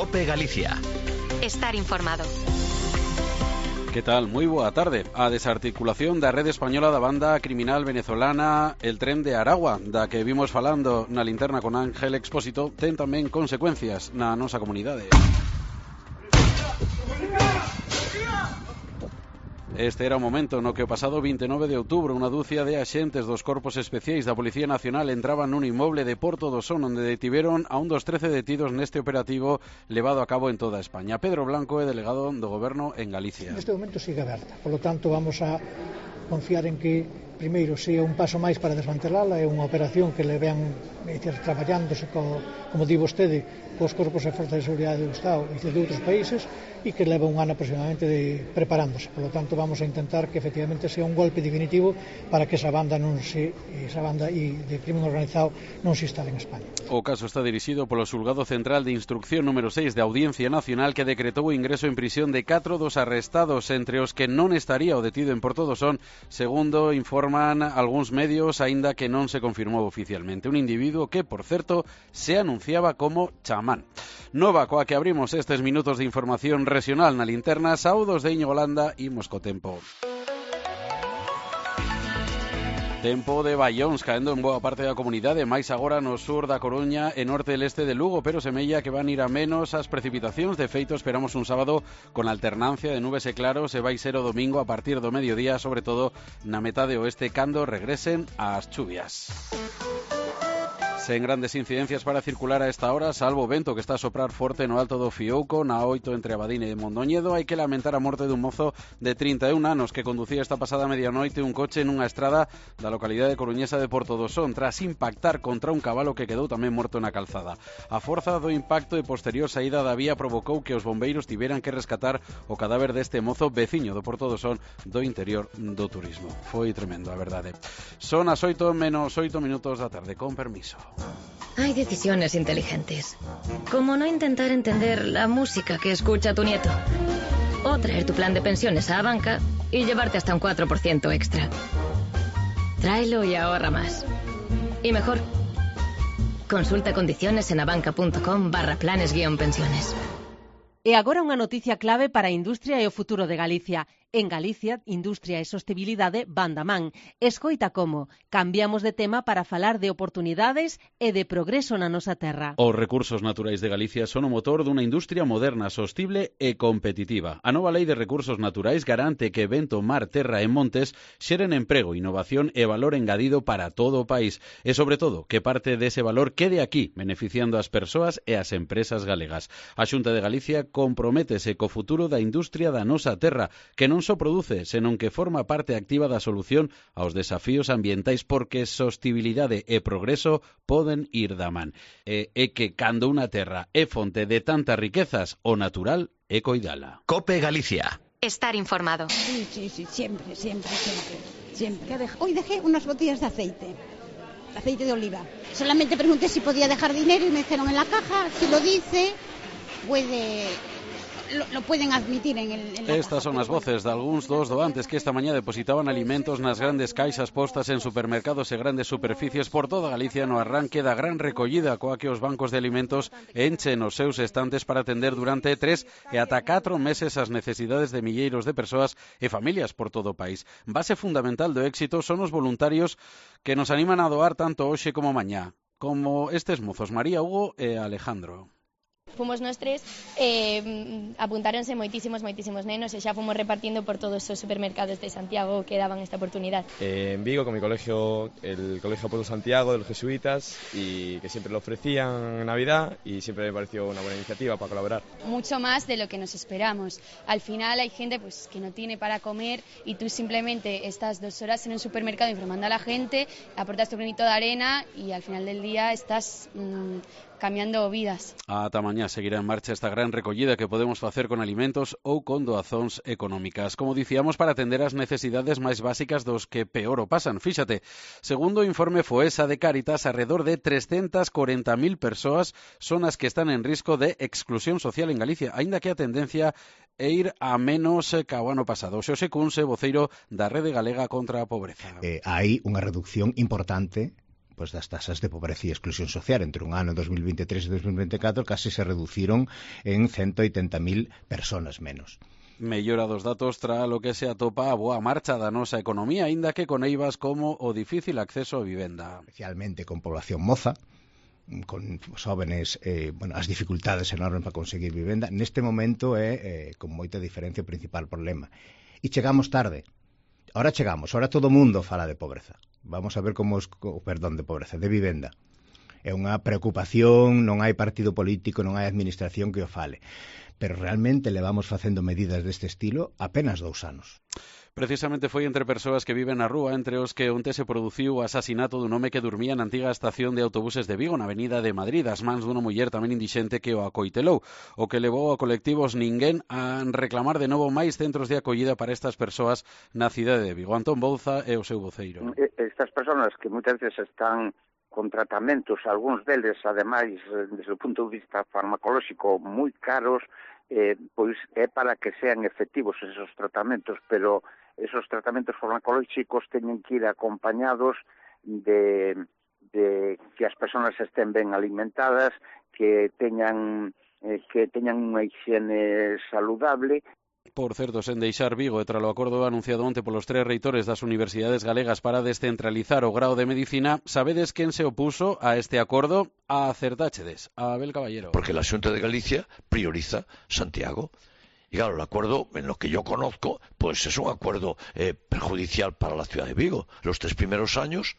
COPE Galicia. Estar informado. Que tal? Moi boa tarde. A desarticulación da rede española da banda criminal venezolana El Tren de Aragua, da que vimos falando na linterna con Ángel Expósito, ten tamén consecuencias na nosa comunidade. Este era o momento no que o pasado 29 de outubro unha dúcia de axentes dos Corpos Especiais da Policía Nacional entraban nun inmoble de Porto do Son onde detiveron a un dos 13 detidos neste operativo levado a cabo en toda España. Pedro Blanco é delegado do Goberno en Galicia. Neste momento sigue aberta, polo tanto vamos a confiar en que primeiro sea un paso máis para desmantelala, é unha operación que le vean traballándose como di vostede, cos corpos e forzas de seguridade do Estado e de outros países e que leva un ano aproximadamente preparándose. Por lo tanto, vamos a intentar que efectivamente sea un golpe definitivo para que esa banda de crimen organizado non se instale en España. O caso está dirixido polo Xulgado Central de Instrucción número 6 da Audiencia Nacional que decretou o ingreso en prisión de 4 dos arrestados, entre os que non estaría o detido en Porto do Son, segundo informan algúns medios, aínda que non se confirmou oficialmente. Un individuo que, por certo, se anunciaba como chamán. Nova coa que abrimos estes minutos de información regional na linterna. Saúdos de Íñigo Landa, imos co tempo. Tempo de baións caendo en boa parte da comunidade, máis agora no sur da Coruña e norte e leste de Lugo, pero semella que van ir a menos as precipitacións. De feito, esperamos un sábado con alternancia de nubes e claros e vai ser o domingo a partir do mediodía, sobre todo na metade oeste, cando regresen as chuvias. Sen grandes incidencias para circular a esta hora, salvo o vento que está a soprar forte no alto do Fiouco, na 8 entre Abadín e Mondoñedo. Hai que lamentar a morte dun mozo de 31 anos que conducía esta pasada medianoite un coche nunha estrada da localidade coruñesa de Porto do Son, tras impactar contra un cabalo que quedou tamén morto na calzada. A forza do impacto e posterior saída da vía provocou que os bombeiros tiveran que rescatar o cadáver deste mozo veciño do Porto do Son do interior do turismo. Foi tremendo, a verdade. Son as 8 menos 8 minutos da tarde, con permiso. Hay decisiones inteligentes, como no intentar entender la música que escucha tu nieto, o traer tu plan de pensiones a banca y llevarte hasta un 4% extra. Tráelo y ahorra más. Y mejor, consulta condiciones en abanca.com/planes-pensiones. E agora unha noticia clave para a industria e o futuro de Galicia. En Galicia, Industria e Sostibilidade van da man. Escoita como cambiamos de tema para falar de oportunidades e de progreso na nosa terra. Os recursos naturais de Galicia son o motor dunha industria moderna, sostible e competitiva. A nova Lei de Recursos Naturais garante que vento, mar, terra e montes xeren emprego, innovación e valor engadido para todo o país. E, sobre todo, que parte dese valor quede aquí, beneficiando as persoas e as empresas galegas. A Xunta de Galicia comprométese co futuro da industria da nosa terra, que non só produce, senón que forma parte activa da solución aos desafíos ambientais, porque sostibilidade e progreso poden ir da man. É que cando unha terra é fonte de tantas riquezas, o natural é coidala. COPE Galicia. Estar informado. Sí, siempre. Hoy dejé unas botellas de aceite de oliva. Solamente pregunté si podía dejar dinero y me dijeron en la caja, si lo dice, lo pueden admitir en la Estas son as voces de algúns dos doantes que esta mañá depositaban alimentos nas grandes caixas postas en supermercados e grandes superficies por toda Galicia no arranque da gran recollida coa que os bancos de alimentos enchen os seus estantes para atender durante 3 e ata 4 meses as necesidades de milleiros de persoas e familias por todo o país. Base fundamental do éxito son os voluntarios que nos animan a doar tanto hoxe como mañá, como estes mozos, María, Hugo e Alejandro. Fomos nós tres, apuntáronse moitísimos nenos e xa fomos repartiendo por todos os supermercados de Santiago que daban esta oportunidad. En Vigo, con mi colegio, el Colegio Pueblo Santiago de los Jesuitas, y que siempre lo ofrecían en Navidad y siempre me pareció una buena iniciativa para colaborar. Mucho más de lo que nos esperamos. Al final hay gente pues que no tiene para comer y tú simplemente estás 2 horas en un supermercado informando a la gente, aportas tu granito de arena y al final del día estás cambiando vidas. Ata mañá seguirá en marcha esta gran recollida que podemos facer con alimentos ou con doazóns económicas. Como dicíamos, para atender as necesidades máis básicas dos que peor o pasan. Fíxate, segundo o informe Foesa de Cáritas, alrededor de 340.000 persoas son as que están en risco de exclusión social en Galicia, aínda que a tendencia é ir a menos ca o ano pasado. Xosé Cunse, voceiro da Rede Galega contra a Pobreza. Hai unha reducción importante pois das tasas de pobreza e exclusión social. Entre un ano 2023 e 2024 case se reduciron en 180.000 personas menos. Mellora dos datos tra lo que se atopa a boa marcha da nosa economía, aínda que con eivas como o difícil acceso a vivenda. Especialmente con población moza, con jóvenes, as dificultades enormes para conseguir vivenda. Neste momento é con moita diferencia o principal problema. E chegamos tarde. Ahora todo o mundo fala de pobreza. Vamos a ver de vivenda. É unha preocupación, non hai partido político, non hai administración que o fale. Pero realmente levamos facendo medidas deste estilo apenas 2 anos. Precisamente foi entre persoas que viven na rúa, entre os que onte se produciu o asasinato dun home que dormía na antiga estación de autobuses de Vigo, na avenida de Madrid, as mans dunha muller tamén indixente que o acoitelou, o que levou a colectivos Ninguén a reclamar de novo máis centros de acollida para estas persoas na cidade de Vigo. Antón Bouza é o seu voceiro. Estas persoas que moitas veces están con tratamentos, algúns deles, ademais, desde o punto de vista farmacolóxico, moi caros, pois é para que sean efectivos esos tratamentos, pero esos tratamentos farmacolóxicos teñen que ir acompañados de que as persoas estén ben alimentadas, que teñan unha higiene saludable. Por certo, sen deixar Vigo, e tralo acordo anunciado onte polos 3 reitores das universidades galegas para descentralizar o grao de medicina, sabedes quen se opuso a este acordo? Acertáchedes, a Abel Caballero. Porque la Xunta de Galicia prioriza Santiago. Y claro, el acuerdo, en lo que yo conozco, pues es un acuerdo perjudicial para la ciudad de Vigo. Los 3 primeros años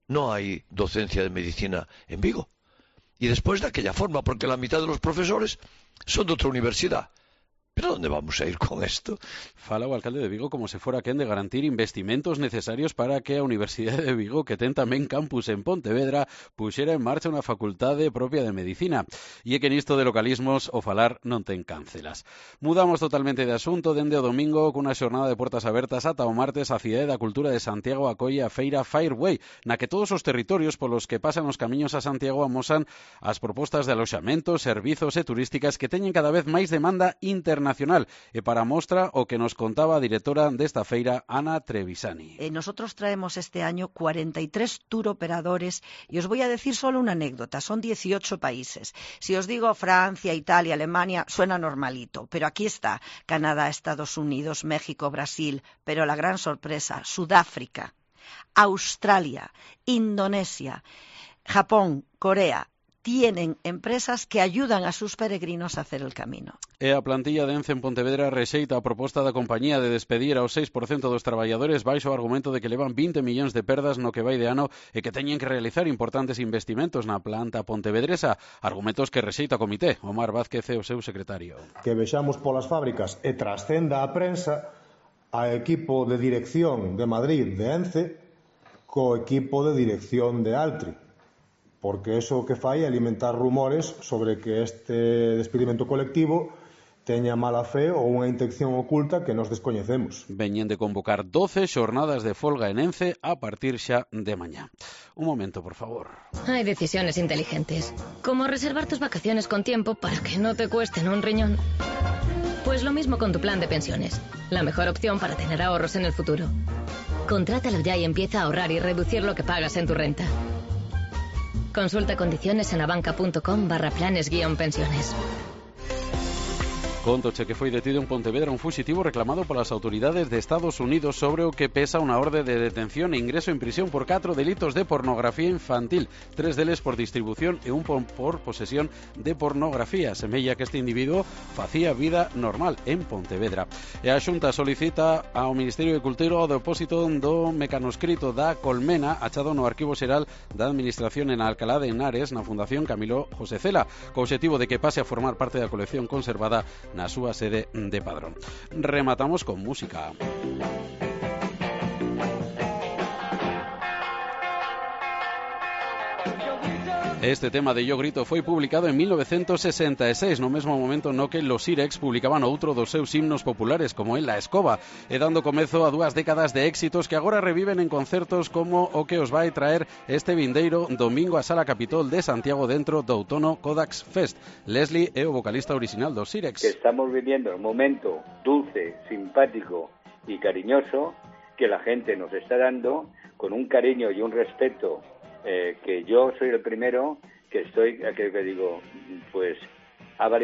no hay docencia de medicina en Vigo. Y después de aquella forma, porque la mitad de los profesores son de otra universidad. ¿Pero dónde vamos a ir con esto? Fala o alcalde de Vigo como se fora quen de garantir investimentos necesarios para que a Universidade de Vigo, que ten tamén campus en Pontevedra, puxera en marcha unha facultade propia de medicina. E é que nisto de localismos o falar non ten cáncelas. Mudamos totalmente de asunto dende o domingo cunha xornada de portas abertas ata o martes a Cidade da Cultura de Santiago acolle a feira Fireway, na que todos os territorios polos que pasan os camiños a Santiago amosan as propostas de aloxamentos, servizos e turísticas que teñen cada vez máis demanda internacional. E para mostra o que nos contaba a directora desta feira, Ana Trevisani. Nosotros traemos este año 43 tour operadores y os voy a decir solo una anécdota, son 18 países. Si os digo Francia, Italia, Alemania, suena normalito, pero aquí está Canadá, Estados Unidos, México, Brasil, pero la gran sorpresa, Sudáfrica, Australia, Indonesia, Japón, Corea. Tienen empresas que ayudan a sus peregrinos a hacer el camino. E a plantilla de Ence en Pontevedra rexeita a proposta da compañía de despedir ao 6% dos traballadores baixo o argumento de que levan 20 millóns de perdas no que vai de ano e que teñen que realizar importantes investimentos na planta pontevedresa, argumentos que rexeita o comité. Omar Vázquez é o seu secretario. Que vexamos polas fábricas e trascenda a prensa a equipo de dirección de Madrid de Ence co equipo de dirección de Altri. Porque eso que fai é alimentar rumores sobre que este despedimento colectivo teña mala fe ou unha intención oculta que nos descoñecemos. Veñen de convocar 12 xornadas de folga en Ence a partir xa de mañá. Un momento, por favor. Hay decisiones inteligentes, como reservar tus vacaciones con tiempo para que no te cuesten un riñón. Pues lo mismo con tu plan de pensiones, la mejor opción para tener ahorros en el futuro. Contrátalo ya y empieza a ahorrar y reducir lo que pagas en tu renta. Consulta condiciones en abanca.com/planes-pensiones. Contoche que foi detido en Pontevedra un fuxitivo reclamado polas autoridades de Estados Unidos sobre o que pesa unha orde de detención e ingreso en prisión por 4 delitos de pornografía infantil, 3 deles por distribución e un por posesión de pornografía. Semella que este individuo facía vida normal en Pontevedra. E a Xunta solicita ao Ministerio de Cultura o depósito do mecanoscrito da Colmena achado no Arquivo Xeral da Administración en Alcalá de Henares na Fundación Camilo José Cela, co obxectivo de que pase a formar parte da colección conservada na súa sede de Padrón. Rematamos con música. Este tema de Yo Grito foi publicado en 1966, no mesmo momento no que los Sirex publicaban outro dos seus himnos populares, como en La Escoba, e dando comezo a 2 décadas de éxitos que agora reviven en concertos como o que os vai traer este vindeiro domingo a Sala Capitol de Santiago dentro do Outono Kodax Fest. Leslie é o vocalista original dos Sirex. Estamos viviendo un momento dulce, simpático y cariñoso que la gente nos está dando con un cariño y un respeto que yo soy el primero que digo, pues